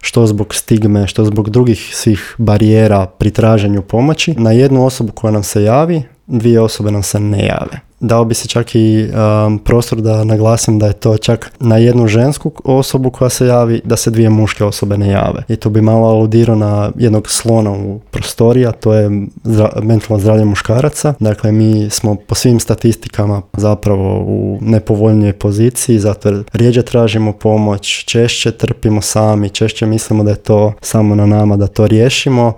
što zbog stigme, što zbog drugih svih barijera pri traženju pomoći. Na jednu osobu koja nam se javi, 2 osobe nam se ne jave. Dao bi se čak i prostor da naglasim da je to čak na jednu žensku osobu koja se javi, da se 2 muške osobe ne jave. I to bi malo aludirao na jednog slona u prostoriji, a to je mentalno zdravlje muškaraca. Dakle, mi smo po svim statistikama zapravo u nepovoljnijoj poziciji, zato jer rjeđe tražimo pomoć, češće trpimo sami, češće mislimo da je to samo na nama da to riješimo